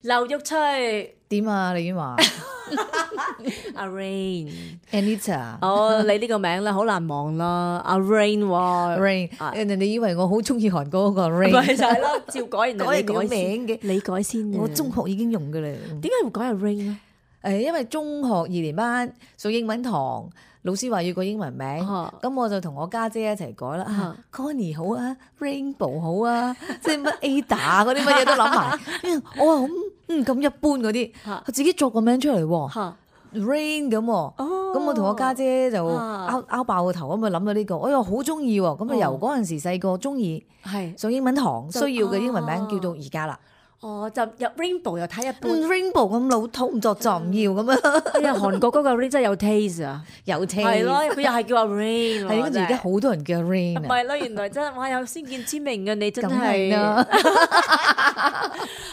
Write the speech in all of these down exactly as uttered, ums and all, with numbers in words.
劉玉翠點啊？李婉華阿 Rain Anita 哦，你呢個名咧好難忘啦，阿 Rain 喎 Rain，啊人哋以為我好中意韓國嗰個 Rain，咪就係咯，照改人哋改人哋個你改先名嘅，你改先嘅。我中學已經用㗎啦。點解會改阿 Rain 咧？誒，因為中學二年班上英文堂，老師話要個英文名，啊咁我就同我家姐一齊改啦。啊啊 Connie 好啊 ，Rainbow 好啊，即係乜 Ada 嗰啲乜嘢都諗埋。我話咁嗯咁一般嗰啲，嚇佢自己作個名出嚟喎嚇，Rain 咁喎。哦，咁我同我家姐就啊拗拗爆個頭咁啊諗到呢個，我又好中意喎。咁啊由嗰陣時細個中意係上英文堂需就要嘅英文名哦叫到而家啦。哦，就入 Rainbow 又睇一般。嗯 Rainbow 咁老土唔作就唔要咁樣，哎呀，韓國嗰個 Rain 真係有 taste 啊！有聽係咯，佢又係叫阿 Rain 喎。係跟住而家好多人叫 Rain 啊，唔係咯，原來真係哇有先見之明嘅你真梗係係啦。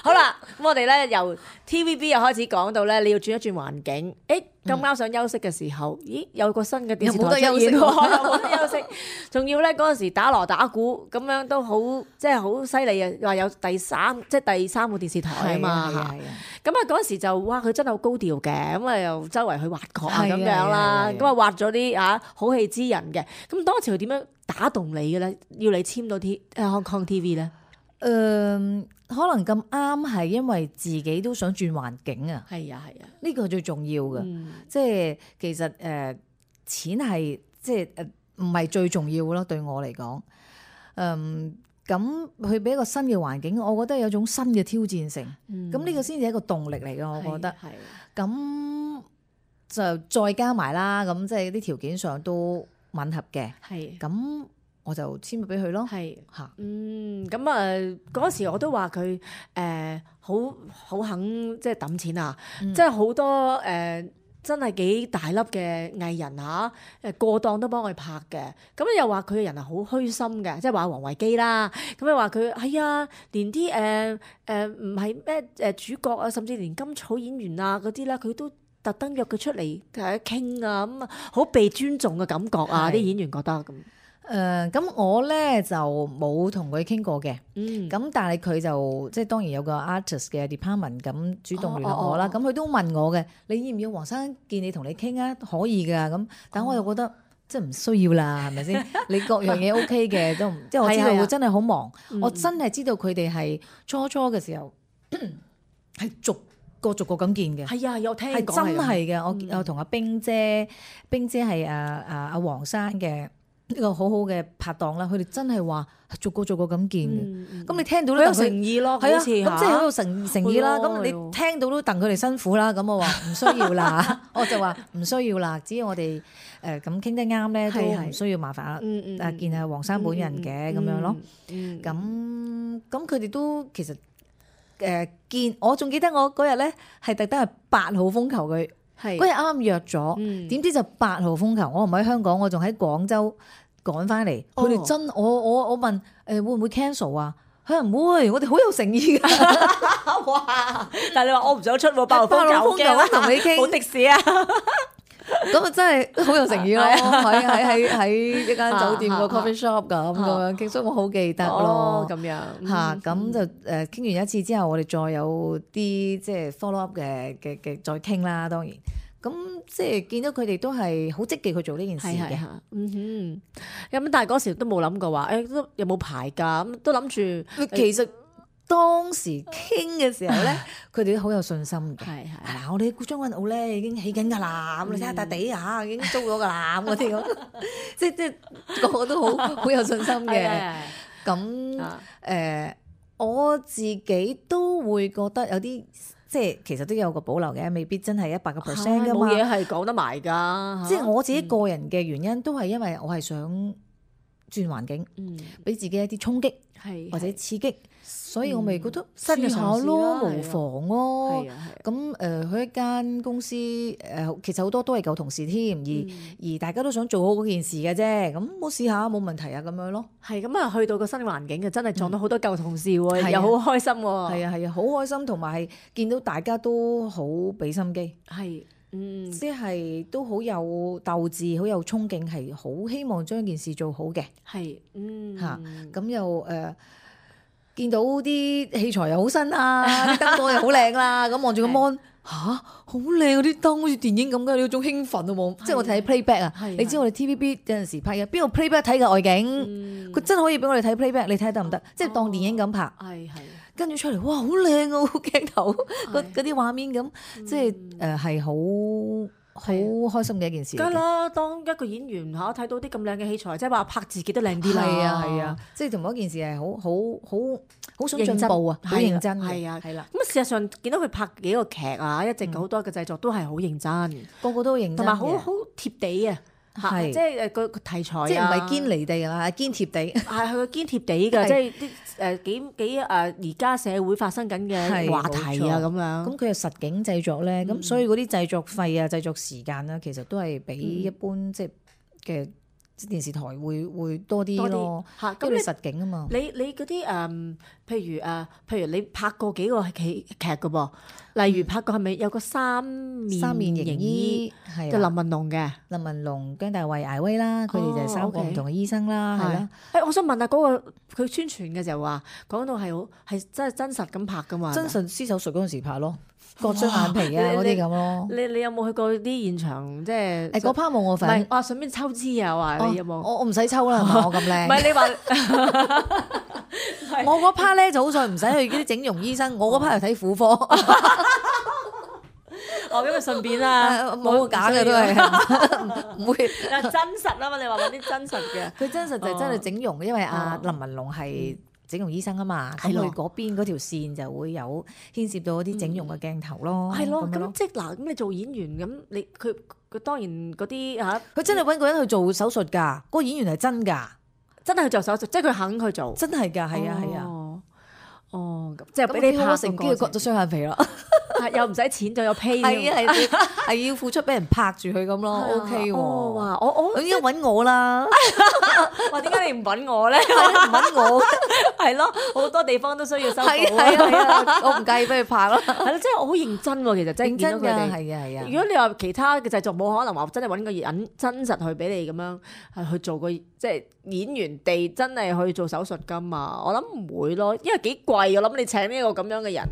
好啦，咁我哋咧由 T V B 又開始講到咧，你要轉一轉環境。誒咁啱想休息嘅時候，咦有個新嘅電視有冇得台出現喎，休息喎有冇得休息？仲要咧嗰陣時打鑼打鼓咁樣都好，即係好犀利啊！話有第三即係第三個電視台啊嘛嚇。係啊係啊咁啊嗰陣時就哇佢真係好高調嘅，咁啊又周圍去挖角啊係啊咁樣啦，係啊係啊咁啊挖咗啲啊好戲之人嘅。咁當時佢點樣打動你嘅咧？要你簽到 T 誒 Hong Kong T V 咧？誒、可能咁啱係因為自己都想轉環境啊，係啊係啊，呢個係最重要嘅。嗯即係其實誒、呃、錢係即係誒唔係最重要咯，對我嚟講。嗯，咁去俾一個新嘅環境，我覺得有種新嘅挑戰性。嗯咁呢、個先至係一個動力嚟嘅，我覺得。係咁就再加埋啦，咁即係啲條件上都吻合嘅。係咁我就簽咗俾佢咯。係。嚇，嗯，咁啊嗰時我都話佢誒好好肯即係揼錢啊，嗯即係好多誒、呃真係幾大粒嘅藝人嚇，誒過檔都幫佢拍嘅。咁又話佢嘅人係好虛心嘅，即係話王維基啦。咁又話佢係啊，連啲誒誒唔係咩誒主角啊，甚至連甘草演員啊嗰啲咧，佢都特登約佢出嚟誒傾啊，咁啊好被尊重嘅感覺啊！係啲演員覺得咁，誒咁我咧就冇同佢傾過嘅。嗯，咁但係佢就即係當然有個 artist 嘅 department 咁主動聯絡我啦。哦哦咁佢都問我嘅，你要唔要黃生見你同你傾啊？可以㗎。咁但我又覺得即係唔需要啦，係咪先？你各樣嘢 OK 嘅都唔，即係我知道係啊係啊佢真係好忙。嗯我真係知道佢哋係初初嘅時候係逐個逐個咁見嘅。係啊，有聽係講真係嘅，嗯我我同阿冰姐，冰姐係啊啊阿黃生嘅呢個好好嘅拍檔啦。佢哋真係話逐個逐個咁見嘅。嗯咁你聽到好有都戥佢誠意咯，係啊，好似咁即係好有誠誠意啦。係喎咁係喎你聽到都戥佢哋辛苦啦。咁我話唔需要啦，我就話唔需要啦。只要我哋誒咁傾得啱咧，都係係唔需要麻煩啊。嗯嗯啊見下黃生本人嘅咁樣咯。，嗯咁咁佢哋都其實誒見，我仲記得我嗰日咧係特登係八號風球佢。係嗰日啱啱約咗，嗯點知就八號風球，我唔喺香港，我仲喺廣州趕翻嚟。哦佢哋真，我我我問誒、呃、會唔會 cancel 啊？佢話唔會，我哋好有誠意㗎。哇！但係你話我唔想出喎，八號八號風球風球啊同你傾冇的士啊，咁啊真係好有誠意咯，係啊喺喺喺喺一間酒店個啊 coffee shop 咁咁樣傾，所以我好記得咯。哦咁樣嚇嗯咁就誒傾完一次之後，我哋再有啲即係 follow up 嘅嘅嘅再傾啦。當然，咁即係見到佢哋都係好積極去做呢件事嘅。係係嚇，嗯哼，咁但係嗰時都冇諗過話，誒都有冇排㗎？咁都諗住其實當時傾嘅時候咧，佢哋都好有信心嘅。係係嗱，我哋將軍澳咧已經起緊㗎啦，咁你睇下笪地嚇已經租咗㗎啦，咁嗰啲咁，即即個個都好好有信心嘅。係咁啊誒，我自己都會覺得有啲即係其實都有個保留嘅，未必真係一百個 percent 㗎嘛。冇嘢係講得埋㗎，即係我自己個人嘅原因，都係因為我係想轉環境，嗯俾自己一啲衝擊係或者刺激，所以我咪覺得新嘅試下嘗試咯，啦無妨咯係。啊係啊咁誒，去一間公司誒，其實好多都係舊同事添，而嗯而大家都想做好嗰件事嘅啫。咁我試下冇問題啊，咁樣咯。係咁啊，去到個新環境嘅真係撞到好多舊同事喎，係啊又好開心喎。係啊係啊，好開心，同埋係見到大家都好俾心機，係嗯即係都好有鬥志，好有衝勁，係好希望將件事做好嘅係嗯嚇。咁又誒見到啲器材又好新啊，啲燈光又好靚啦，咁望住個 mon 吓好靚嗰啲燈，好似電影咁嘅，有種興奮啊冇？即係我睇 playback 啊，你知我哋 T V B 有陣時拍嘅，邊個 playback 睇嘅外景，佢真係可以俾我哋睇 playback，你睇得唔得？即係當電影咁拍，係係。跟住出嚟，哇，好靚啊！鏡頭嗰嗰啲畫面咁，即係誒係好好開心嘅一件事。梗係啦，當一個演員嚇睇到啲咁靚嘅器材，即係話拍自己都靚啲啦。係啊係啊，即係同埋一件事係好好好好想進步啊，好認真。係啊係啦。咁事實上見到佢拍幾個劇啊，一直好多嘅製作都係好認真，個個都認真，同埋好好貼地啊。係，即係誒個個題材啊，即係唔係堅離地啊，係堅貼地。係佢堅貼地㗎，即係啲誒幾幾誒而家社會發生緊嘅話題啊咁樣。咁佢係實景製作咧，咁、嗯、所以嗰啲製作費啊、製作時間咧，其實都係比一般、嗯、即係嘅電視台會會多啲咯。嚇，咁你實景啊嘛。你你嗰啲誒，譬如誒、呃，譬如你拍過幾個戲劇㗎噃？例如拍過係咪有個三面三面形醫，就林文龍嘅林文龍、姜大衛、艾威啦，佢哋就係三個唔同嘅醫生啦，係啦。誒，我想問下嗰個佢宣傳嘅時候話講到係好係真係真實咁拍㗎嘛？真實施手術嗰陣時拍咯，割雙眼皮啊嗰啲咁咯。你你有冇去過啲現場即係？誒嗰 part 冇我份。唔係，我順便抽脂啊！話你有冇？我我唔使抽啦，係嘛？我咁靚。唔係你話。我嗰 part 咧就好在唔使去啲整容醫生，我嗰 part 係睇婦科。哦，咁咪順便啦，冇假嘅都係，唔會。真實啊嘛，你話揾啲真實嘅。佢真實就係真係整容，因為阿林文龍係整容醫生啊嘛，咁佢嗰邊嗰條線就會有牽涉到啲整容嘅鏡頭咯。係咯，咁即係嗱，咁你做演員咁，你佢佢當然嗰啲嚇，佢真係揾個人去做手術㗎，嗰個演員係真㗎。真係去做手術，即係佢肯去做，真係㗎，係啊，係啊，哦，即係俾你拍成機，割咗雙眼皮咯，又唔使錢，仲有 pay，係啊，係係要付出俾人拍住佢咁咯，OK 喎，哇，我我應該揾我啦，哇，點解你唔揾我咧？唔揾我，係咯，好多地方都需要修補，係啊，我唔介意俾佢拍咯，係咯，即係我好認真喎，其實真係見到佢哋，係啊係啊。如果你話其他嘅製作冇可能話真係揾個人真實去俾你咁樣係去做個即係演員地真係去做手術㗎嘛？我諗唔會咯，因為幾貴，我諗你請呢個咁樣嘅人。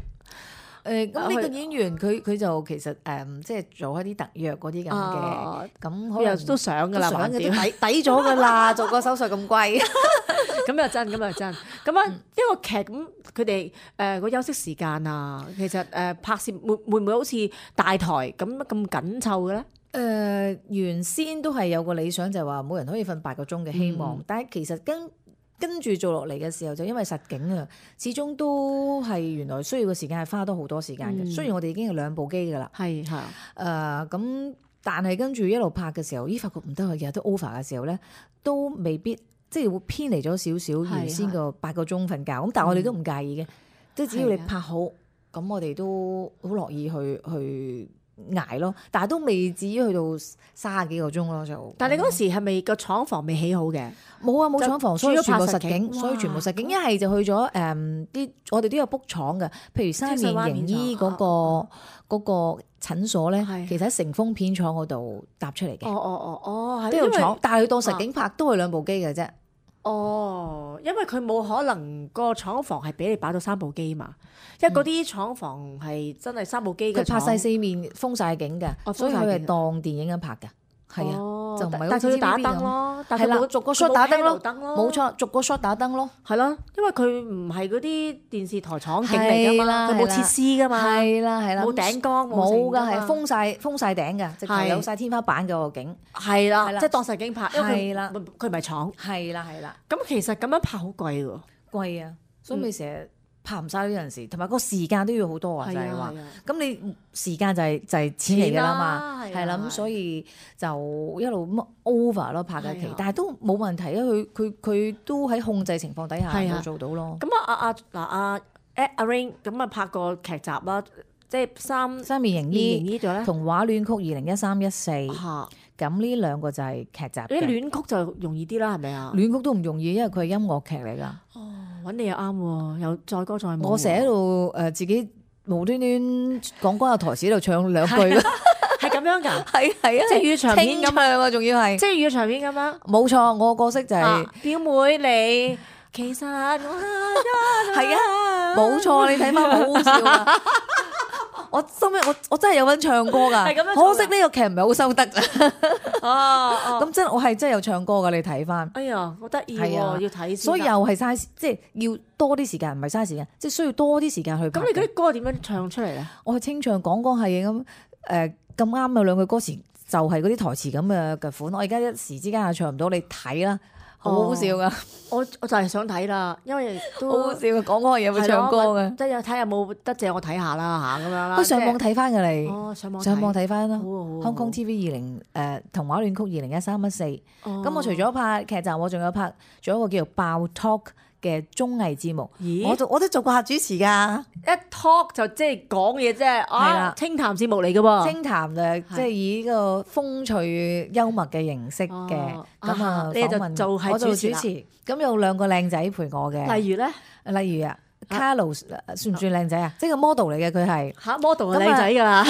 誒咁呢個演員佢佢就其實誒、嗯、即係做一啲特約嗰啲咁嘅，咁可能都想㗎啦，想嘅抵抵咗㗎啦，做個手術咁貴，咁又真，咁又真。咁啊一個劇咁，佢哋誒個休息時間啊，其實誒、呃、拍攝會會唔會好似大台咁咁緊湊嘅咧？誒、呃、原先都係有個理想，就係話每人可以瞓八個鐘嘅希望，嗯、但係其實跟跟住做落嚟嘅時候，就因為實景啊，始終都係原來需要嘅時間係花多好多時間嘅。嗯、雖然我哋已經係兩部機㗎啦，係係誒咁，但係跟住一路拍嘅時候，咦發覺唔得啊，日日都 over 嘅時候咧，都未必即係會偏離咗少少原先個八個鐘瞓覺。咁但係我哋都唔介意嘅，即係、嗯、只要你拍好，咁我哋都好樂意去去捱咯。但係都未至於去到三十幾個鐘咯就。但係你嗰時係咪個廠房未起好嘅？冇啊，冇廠房，所以全部實景，所以全部實景。一係就去咗誒啲，我哋都有 book 廠嘅，譬如三面形醫嗰個嗰個診所咧，其實喺成豐片廠嗰度搭出嚟嘅。哦哦哦哦，都有廠，但係佢當實景拍都係兩部機嘅啫。哦，因為佢冇可能個廠房係俾你擺到三部機嘛，因為嗰啲廠房係真係三部機嘅。佢拍晒四面封晒景嘅，所以佢係當電影咁拍嘅。係啊，就唔係好似 T V B 咁。但係佢打燈咯，係啦，逐個 shot 打燈咯，冇錯，逐個 shot 打燈咯，係咯，因為佢唔係嗰啲電視台廠景嚟噶嘛，佢冇設施噶嘛，係啦係啦，冇頂光冇噶，係封晒封晒頂嘅，直頭有晒天花板嗰個景，係啦，即係當實景拍，係啦，佢唔係廠，係啦係啦。咁其實咁樣拍好貴喎，貴啊，所以咪成日拍唔晒呢陣時，同埋個時間都要好多啊，就係話，咁你時間就係就係錢嚟㗎啦嘛，係啦，咁所以就一路 over 咯拍嘅期，但係都冇問題啊，佢佢佢都喺控制情況底下冇做到咯。咁啊啊啊嗱啊阿 Rain 咁啊拍個劇集啦，即係三三面形醫咗咧，童話戀曲二零一三一四，咁呢兩個就係劇集。啲戀曲就容易啲啦，係咪啊？戀曲都唔容易，因為佢係音樂劇嚟㗎。揾你又啱喎，又載歌載舞。我成日喺度誒自己無端端講關有台詞喺度唱兩句，係咁樣㗎，係係啊，即係粵語長片咁唱啊，仲要係即係粵語長片咁樣。冇錯，我個角色就係表妹你其實我係啊，冇錯，你睇翻好好笑啊！我心尾我我真係有份唱歌㗎，係咁樣做㗎可惜呢個劇唔係好收得咋。哦哦，咁真係我係真係有唱歌㗎，你睇翻。哎呀，好得意喎，係啊要睇先得。所以又係嘥時，即係要多啲時間，唔係嘥時間，即係需要多啲時間去拍嘅。咁你嗰啲歌點樣唱出嚟咧？我去清唱講講係嘅咁誒咁啱有兩句歌詞就係嗰啲台詞咁嘅嘅款，我而家一時之間又唱唔到，你睇啦，好好笑噶，我我就係想睇啦，因為都好好笑嘅，講嗰個嘢會唱歌嘅，即係睇下有冇得借我睇下啦嚇咁樣啦。都上網睇翻㗎你，哦，上網上網睇翻啦。好啊好啊香港 T V 二零誒童話戀曲二零一三一四，咁哦我除咗拍劇集，我仲有拍仲有一個叫做爆 Talk 嘅綜藝節目，咦我都我都做過客主持㗎。一 talk 就即係講嘢啫，係啊啦清談節目嚟嘅喎。清談誒，即係以呢個風趣幽默嘅形式嘅，哦咁啊你就訪問做係我做主持啦主持，咁有兩個靚仔陪我嘅，例如咧例如啊，Carlos 算唔算靚仔啊？即係個 model 嚟嘅佢係，嚇 model 係靚仔㗎啦，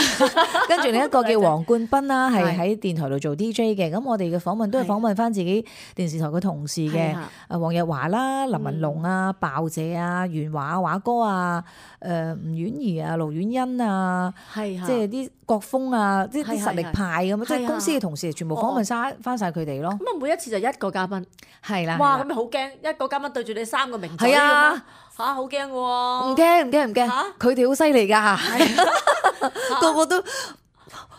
跟住另一個叫黃冠斌啦，係係喺電台度做 D J 嘅。咁我哋嘅訪問都係訪問翻自己電視台嘅同事嘅係啊，啊黃日華啦、林文龍啊、鮑姐啊、袁華華哥啊、誒吳婉儀啊、盧婉欣啊。係啊即係啲國風啊，即係啲係係實力派咁啊！即係係公司嘅同事全部訪問晒翻晒佢哋咯。咁啊，每一次就一個嘉賓，係啦，哇！係啦咁你好驚，一個嘉賓對住你三個名嘴係咁啊樣，嚇好驚嘅唔喎。驚唔驚唔驚嚇，佢哋好犀利㗎，個個都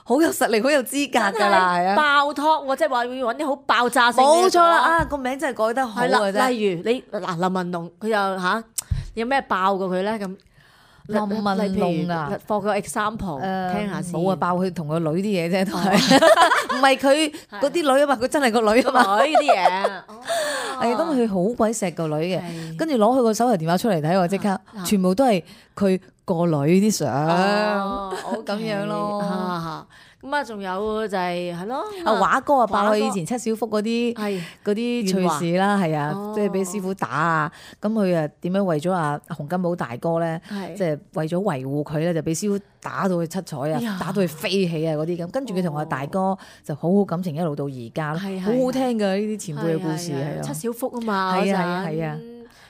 好有實力，好有資格㗎啦，係啊，爆 talk 喎，即係話要揾啲好爆炸性嘅冇錯啦！嘢講啊，個名真係改得好係啦，嘅啫。例如你嗱林文龍佢又嚇有咩爆過佢咧咁？林文龍啊，放個 example 誒聽下先。冇啊，爆佢同個女啲嘢啫，都係唔係佢嗰啲女啊嘛？佢真係個女啊嘛。女啲嘢，係咁，佢好鬼錫個女嘅，係跟住攞佢個手提電話出嚟睇喎，即刻全部都係佢個女啲相，哦咁樣咯。啊咁啊，仲有就係係咯，阿華哥啊，爆佢華哥以前七小福嗰啲係嗰啲趣事啦，係啊哦，即係俾師傅打啊，咁佢啊點樣為咗阿洪金寶大哥咧，係即係為咗維護佢咧，就俾師傅打到佢七彩哎呀啊，打到佢飛起啊嗰啲咁，跟住佢同阿大哥就好好感情一路到而家咯，係係好好聽㗎呢啲前輩嘅故事係啊，七小福啊嘛，係啊嗰陣係啊係啊。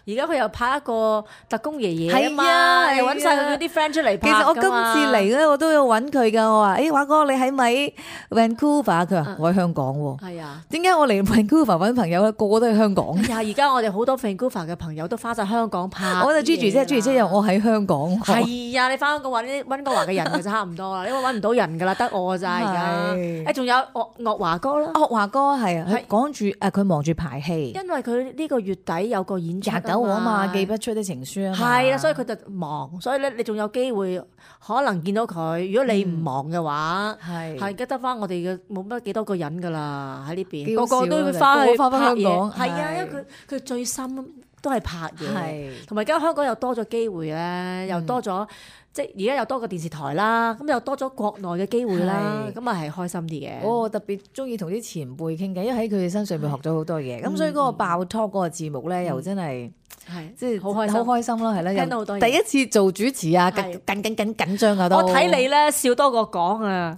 而家佢又拍一個特工爺爺啊係嘛，啊又揾晒佢嗰啲 friend 出嚟拍其實我今㗎嘛次嚟咧，我都有揾佢㗎。我話：誒華哥，你喺咪 Vancouver？佢話：我喺香港喎。係啊。點解我嚟 Vancouver 揾朋友咧？個個都喺香港。哎呀！而家我哋好多 Vancouver 嘅朋友都翻晒香港拍。我就 Gigi 啫，Gigi 啫，又我喺香港。係啊！你翻香港揾啲溫哥華嘅人就差唔多啦，因為揾唔到人噶啦，得我咋而家。係誒，仲有岳岳華哥啦，岳華哥係啊，佢係講住誒，佢忙住排戲，因為佢呢個月底有個演出廿九號啊嘛，寄不出的情書啊嘛。係啦，所以佢就忙，所以咧你仲有機會可能見到佢。如果你唔忙嘅話，係係而家得翻我哋嘅冇乜幾多個人噶啦喺呢邊，幾好個個都笑啊會翻去個個返返拍嘢。香港係啊，係因為佢佢最深都係拍嘢。係同埋而家香港又多咗機會咧，又多咗、即係而家又多個電視台啦，咁又多咗國內嘅機會啦，係咁啊係開心啲嘅。我特別中意同啲前輩傾偈，因為喺佢哋身上面學咗好多嘢。咁所以嗰個爆 talk 嗰個節目咧，又真係係即係好開心好開心咯，係啦。聽到好多嘢第一次做主持啊，緊係緊緊緊緊張啊都。我睇你咧笑多過講啊，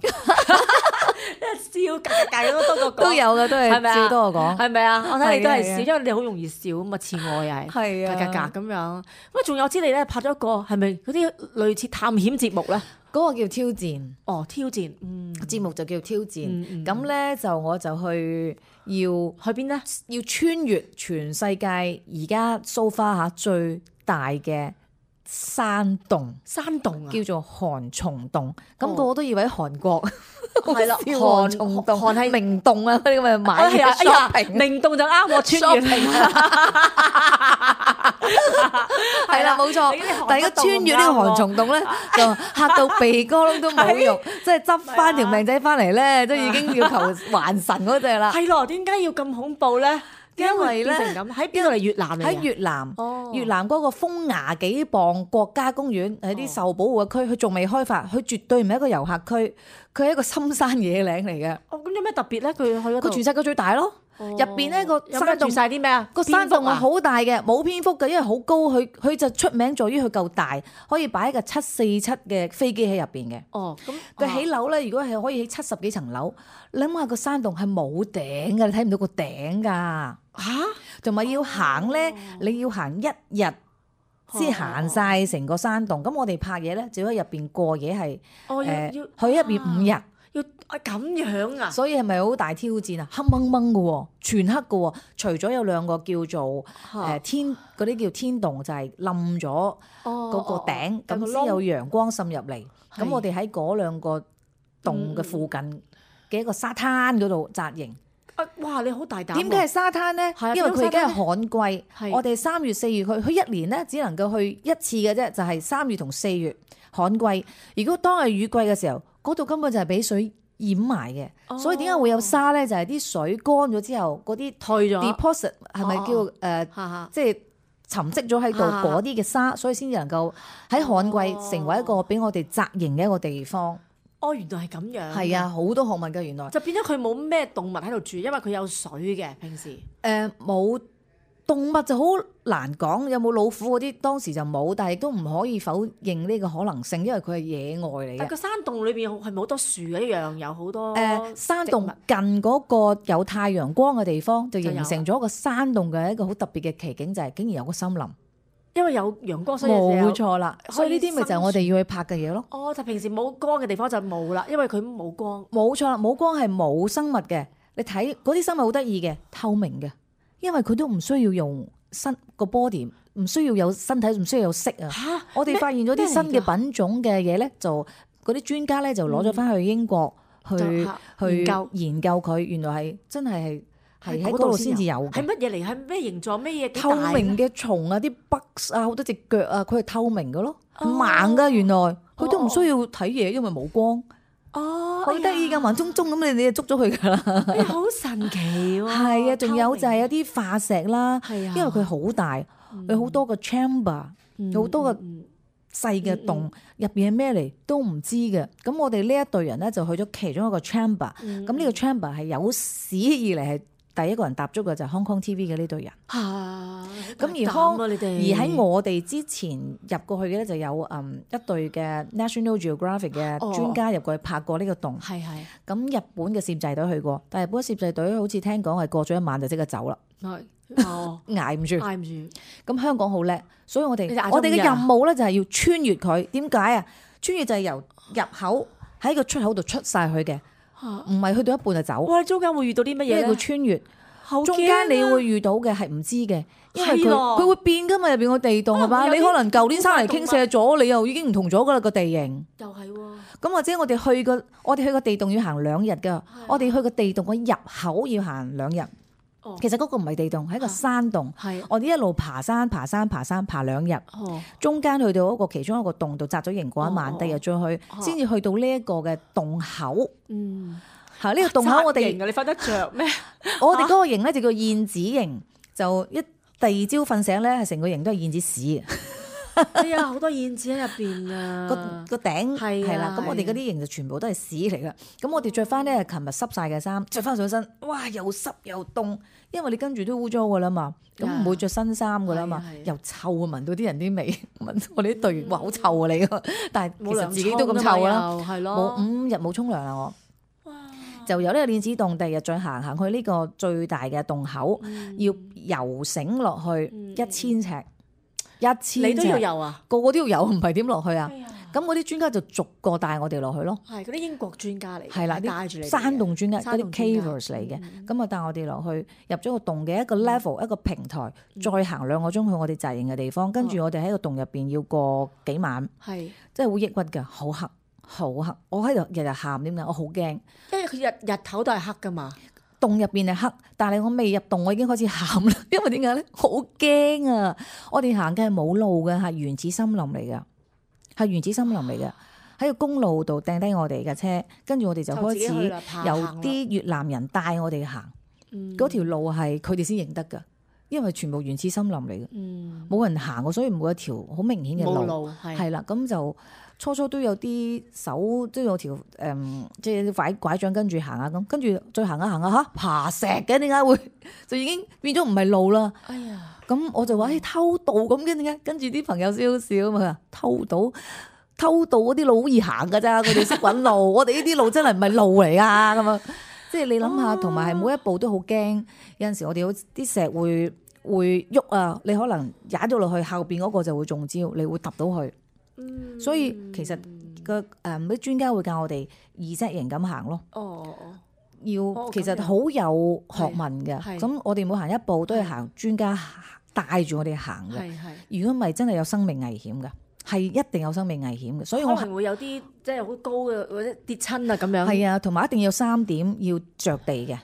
笑格格格都多過講，都有嘅，都係係咪啊笑多我講。係咪啊？我睇你都係笑，係啊係啊因為你好容易笑咁啊，似我又係係啊格格格咁樣。喂，仲有知你咧拍咗一個係咪嗰啲類似探險節目咧？嗰個叫挑戰，哦，挑戰，嗯，節目就叫挑戰。嗯嗯咁咧就我就去要去邊咧？要穿越全世界而家 so far 嚇最大嘅山洞，山洞啊，叫做韓蟲洞。咁哦個個都以為喺韓國。係啦，韓韓蟲洞、韓係明洞啊，嗰啲咁嘅買哎呀，嘅哎呀， shopping。明洞就啱我穿越。係啦，冇錯你啲韓。但係而家穿越呢個韓蟲洞咧，就嚇到鼻哥窿都冇用，即係執翻條命仔翻嚟咧，都已經要求還神嗰只啦。係咯，點解要咁恐怖咧？因為咧變成咁喺邊度嚟？越南嚟㗎喺越南，哦越南嗰個風牙幾磅國家公園係啲受保護嘅區，佢仲未開發，佢絕對唔係一個遊客區，佢係一個深山野嶺嚟嘅。哦，咁有咩特別咧？佢去嗰度佢全世界最大咯，入邊咧個有咩住山洞晒啲咩啊？個山洞係係好大嘅，冇蝙蝠嘅，因為好高，佢佢就出名在於佢夠大，可以擺一架七四七嘅飛機喺入邊嘅。哦，咁佢起樓咧，如果係可以起七十幾層樓，你諗下個山洞係冇頂㗎，你睇唔到個頂㗎。嚇，同埋要行咧，你要行一日先行晒成個山洞。咁我哋拍嘢咧，就喺入邊過夜係哦要誒要去入邊五日。要啊咁樣啊？所以係咪好大挑戰啊？黑掹掹嘅喎，全黑嘅喎。除咗有兩個叫做誒天嗰啲叫天洞，就係冧咗嗰個頂，咁先有陽光滲入嚟。咁我哋喺嗰兩個洞嘅附近嘅一個沙灘嗰度紮營。啊！哇！你好大膽。點解係沙灘咧？因為佢而家係旱季，係我哋三月四月去，佢一年咧只能夠去一次嘅啫，就係三月同四月旱季。如果當係雨季嘅時候，嗰度根本就係俾水掩埋嘅，哦所以點解會有沙咧？就係啲水乾咗之後，嗰啲退咗 deposit 係咪叫哦誒，哈哈即係沉積咗喺度啊嗰啲嘅沙，所以先至能夠喺旱季成為一個俾我哋紮營嘅一個地方。哦，原來係咁樣。係啊，好多學問㗎原來。就變咗佢冇咩動物喺度住，因為佢有水嘅平時。誒冇、呃、動物就好難講，有冇老虎嗰啲當時就冇，但係亦都唔可以否認呢個可能性，因為佢係野外嚟嘅。但個山洞裏邊係咪好多樹嘅一樣，有好多誒、呃、山洞植物近嗰個有太陽光嘅地方，就就有形成咗個山洞嘅一個好特別嘅奇景，就係、是、竟然有個森林。因為有陽光，所以冇錯啦，可以所以呢啲咪就係我哋要去拍嘅嘢咯。哦，就平時冇光嘅地方就冇啦，因為佢冇光。冇錯啦，冇光係冇生物嘅。你睇嗰啲生物好得意嘅，透明嘅，因為佢都唔需要用身個 body，唔需要有身體，唔需要有色啊。嚇！我哋發現咗啲新嘅品種嘅嘢咧，就嗰啲專家咧就攞咗翻去英國、嗯、去去研究研究佢，原來係真係係係喺嗰度先至有嘅。係乜嘢嚟？係咩形狀？咩嘢？透明嘅蟲啊，啲 bugs 啊，好多隻腳啊，佢係透明嘅咯，哦盲噶原來，佢都唔需要睇嘢，因為冇光。哦，好得意噶，盲中中咁，你你就捉咗佢噶啦。哎呀，好神奇喎！係啊，仲有就係有啲化石啦，係啊，因為佢好大，有好多個 chamber，有好多個嗯細嘅洞，入邊係咩嚟都唔知嘅。咁我哋呢一隊人咧就去咗其中一個 chamber，咁呢個 chamber 係有史以嚟係第一個人踏足嘅就係 Hong Kong T V 嘅呢隊人。嚇！咁而康你哋而喺我哋之前入過去嘅咧就有嗯一隊嘅 National Geographic 嘅專家入過去拍過呢個洞。係係。咁日本嘅攝製隊去過，但係日本攝製隊好似聽講係過咗一晚就即刻走啦。係。哦，捱唔住，捱唔住。咁香港好叻，所以我哋你哋捱咗我哋嘅五日啊任務咧就係要穿越佢。點解啊？穿越就係由入口喺個出口度出晒佢嘅，唔係去到一半就走。哇！你中間會遇到啲乜嘢咧？因為佢穿越，好驚啊中間你會遇到嘅係唔知嘅，因為佢係喎佢會變噶嘛，入邊個地洞係嘛？有啲你可能舊年山泥傾瀉好咗，你又已經唔同咗噶啦個地形。又係喎。咁或者我哋去個我哋去個地洞要行兩日噶，我哋去個地洞個入口要行兩日。哦其實嗰個唔係地洞，係一個山洞。係。我哋一路爬山、爬山、爬山，爬兩日。哦。中間去到嗰個其中一個洞度紮咗營嗰一晚，哦第二日再去，先至去到呢一個嘅洞口。嗯。係呢個洞口我哋，紮營啊！你瞓得着咩？我哋嗰個營咧就叫燕子營，就一第二朝瞓醒咧，係成個營都係燕子屎。哎呀，好多燕子喺入邊啊！個個頂係係啦，咁我哋嗰啲營就全部都係屎嚟噶。咁我哋着翻咧，琴日濕晒嘅衫，着翻上身，哇！又濕又凍，因為你跟住都污糟噶啦嘛，咁唔會着新衫噶啦嘛，又臭啊，聞到啲人啲味，聞我哋啲隊員話好臭啊你，但係其實自己都咁臭啦，係咯，冇五日冇沖涼啦我。就由呢個鏈子洞，第二日再行行去呢個最大嘅洞口，要游繩落去一千尺。一千尺你都要游啊？個個都要游，唔係點落去啊？咁嗰啲專家就逐個帶我哋落去咯。係嗰啲英國專家嚟，係啦，帶住你山洞專家，嗰啲 cavers 嚟嘅，嗯咁啊帶我哋落去入咗個洞嘅一個 level，、嗯、一個平台，再行兩個鐘去我哋紮營嘅地方，跟住我哋喺個洞入邊要過幾晚，係真係好抑鬱㗎，好黑好黑，我喺度日日喊點解？我好驚，因為佢日日頭都係黑㗎嘛。洞入邊係黑，但係我未入洞，我已經開始喊啦。因為點解咧？好驚啊！我哋行嘅係冇路嘅，係原始森林嚟嘅，係原始森林嚟嘅。喺個公路度掟低我哋嘅車，跟住我哋就開始由啲越南人帶我哋行。嗰條、嗯、路係佢哋先認得㗎，因為全部原始森林嚟嘅，冇、嗯、人行過，所以冇一條好明顯嘅冇路，路係係啦，咁就初初都有啲手都有條誒、嗯，即係拐拐杖跟住行下咁，跟住再行下行下嚇爬石嘅，點解會就已經變咗唔係路啦？哎呀，咁我就話誒、欸、偷渡咁嘅點解？跟住啲朋友笑笑啊嘛，偷渡偷渡嗰啲路好易行㗎咋，佢哋識揾路，我哋呢啲路真係唔係路嚟啊咁啊！即係你諗下，同埋係每一步都好驚，有陣時我哋好啲石會會喐啊，你可能踩咗落去，後邊嗰個就會中招，你會揼到去。嗯、所以其實個誒啲專家會教我哋二 set 型咁行咯。哦哦，要、哦、其實好有學問嘅。咁我哋每行一步都係行專家帶住我哋行嘅。如果唔係真係有生命危險嘅。係一定有生命危險嘅，所以我可能會有啲即係好高嘅或者跌親啊咁樣。係啊，同埋一定要三點要着地嘅，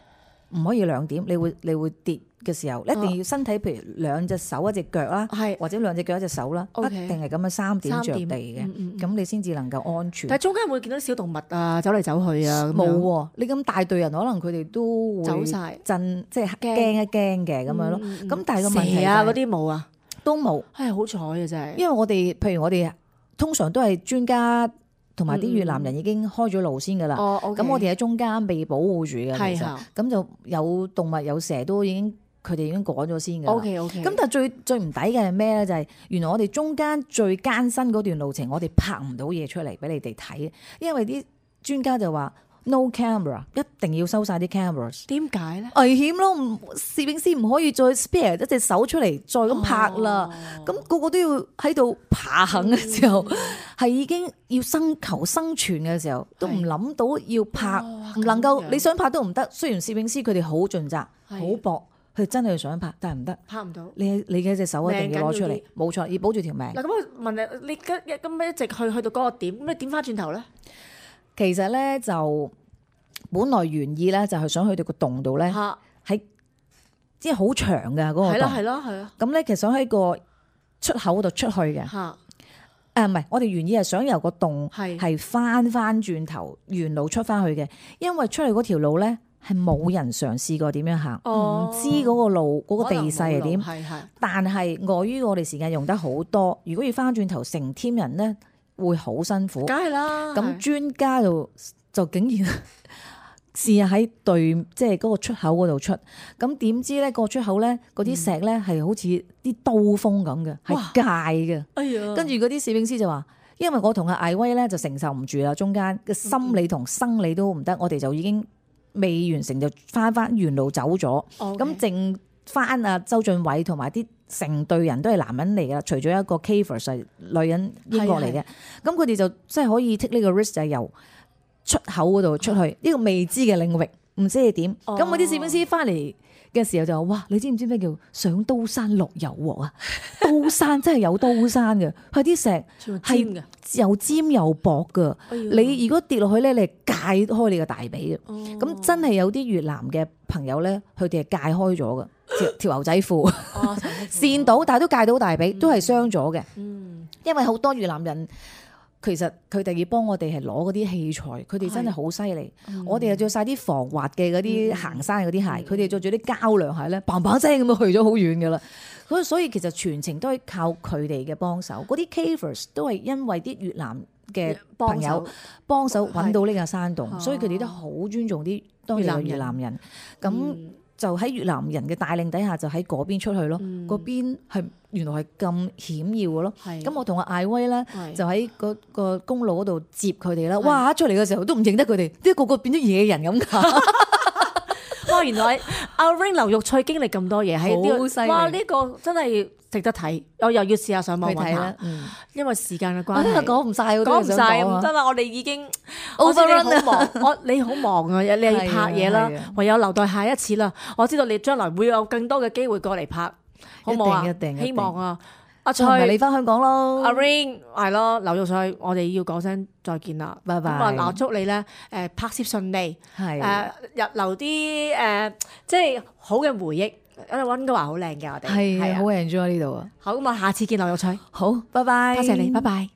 唔可以兩點。你會你會跌嘅時候，一定要身體譬如兩隻手一隻腳啦，或者兩隻腳一隻手啦，一定係咁樣三點着地嘅，咁、嗯嗯、你先至能夠安全。但係中間會見到小動物啊，走嚟走去啊，冇喎、啊。你咁大隊人，可能佢哋都會走晒，震即係驚一驚嘅咁樣咯。咁、嗯嗯、但係個問題係、蛇啊嗰啲冇啊。都冇，係好彩嘅真係。因為我哋，譬如我哋通常都係專家同埋啲越南人已經開咗路先噶啦。哦，咁我哋喺中間被保護住嘅，其實咁就有動物有蛇都已經佢哋已經趕咗先噶啦。OK OK。咁但係最最唔抵嘅係咩咧？就係、是、原來我哋中間最艱辛嗰段路程，我哋拍唔到嘢出嚟俾你哋睇，因為啲專家就話。No camera， 一定要收晒啲 cameras。點解咧？危險咯，攝影師唔可以再 spare 一隻手出嚟再咁拍啦。咁、哦、個個都要喺度爬行嘅時候，係、嗯、已經要生求生存嘅時候，都唔諗到要拍，唔、哦、能夠你想拍都唔得。雖然攝影師佢哋好盡責，好搏，佢真係想拍，但係唔得，拍唔到。你你嘅隻手一定要攞出嚟，冇錯，要保住條命。嗱，咁我問你，你咁咁一直去去到嗰個點，咁你點翻轉頭咧？其實咧就本來原意咧就係想去到個洞度咧，喺即係好長㗎嗰個洞。係啦係啦係啊。咁咧其實想喺個出口嗰度出去嘅。嚇。誒唔係，我哋原意係想由個洞係翻翻轉頭原路出翻去嘅，因為出嚟嗰條路咧係冇人嘗試過點樣行，唔、哦、知嗰個路嗰、嗰個地勢係點。係係。但係礙於我哋時間用得好多，如果要翻轉頭成 team 人咧，會好辛苦，梗係啦。咁專家就就竟然試下喺對，即係嗰個出口嗰度出。咁點知咧，個出口咧，嗰啲石咧係好似啲刀鋒咁嘅，係界嘅。哎呀！跟住嗰啲攝影師就話，因為我同阿艾威咧就承受唔住啦，中間嘅心理同生理都唔得，我哋就已經未完成就翻翻原路走咗。咁剩翻阿周俊偉同埋啲。成隊人都係男人嚟噶，除咗一個 Kaver 係女人英國嚟嘅，咁佢哋就即係可以 take 呢個 risk 就係由出口嗰度出去呢、呢個未知嘅領域，唔知係點。咁嗰啲攝影師翻嚟嘅時候就話：哇！你知唔知咩叫上刀山落油鑊啊？刀山真係有刀山嘅，佢啲石係又尖又薄噶、哎。你如果跌落去咧，你係界開你個大髀嘅。咁、哦、真係有啲越南嘅朋友咧，佢哋係界開咗嘅。條條牛仔褲，哦，跣到，但係都戒到大髀，都係傷咗嘅。嗯，因為好多越南人，其實佢哋要幫我哋係攞嗰啲器材，佢哋真係好犀利。我哋又着晒啲防滑嘅嗰啲行山嗰啲鞋，佢哋着住啲膠涼鞋咧，嘭嘭聲咁樣去咗好遠噶啦。咁所以其實全程都係靠佢哋嘅幫手。嗰啲 cavers 都係因為啲越南嘅朋友幫手揾到呢個山洞，所以佢哋都好尊重啲當地嘅越南人。咁就喺越南人嘅帶領底下，就喺嗰邊出去咯。嗰、嗯、邊係原來係咁險要嘅咯。咁我同阿艾威咧，就喺嗰個公路嗰度接佢哋啦。哇！出嚟嘅時候都唔認得佢哋，啲個個變咗野人咁㗎。哇！原來阿 Ring 劉玉翠經歷咁多嘢喺呢個，哇！呢、呢個真係值得睇。我又要試下上網揾下、嗯，因為時間嘅關係，講唔晒，講唔晒，唔得啦！我哋已經 overrun 啦。我你好忙啊，你要拍嘢啦，唯有留待下一次啦。我知道你將來會有更多嘅機會過嚟拍，好唔好啊？一定，希望啊！阿翠，你翻香港咯。阿 Ring 係咯，劉玉翠，我哋要講聲再見啦，拜拜。咁啊，嗱，祝你咧誒拍攝順利，係誒入留啲誒即係好嘅回憶。我哋溫哥華好靚嘅，我哋係好 enjoy 呢度啊。好，咁啊，下次見劉玉翠。好，拜拜。多謝你，拜拜。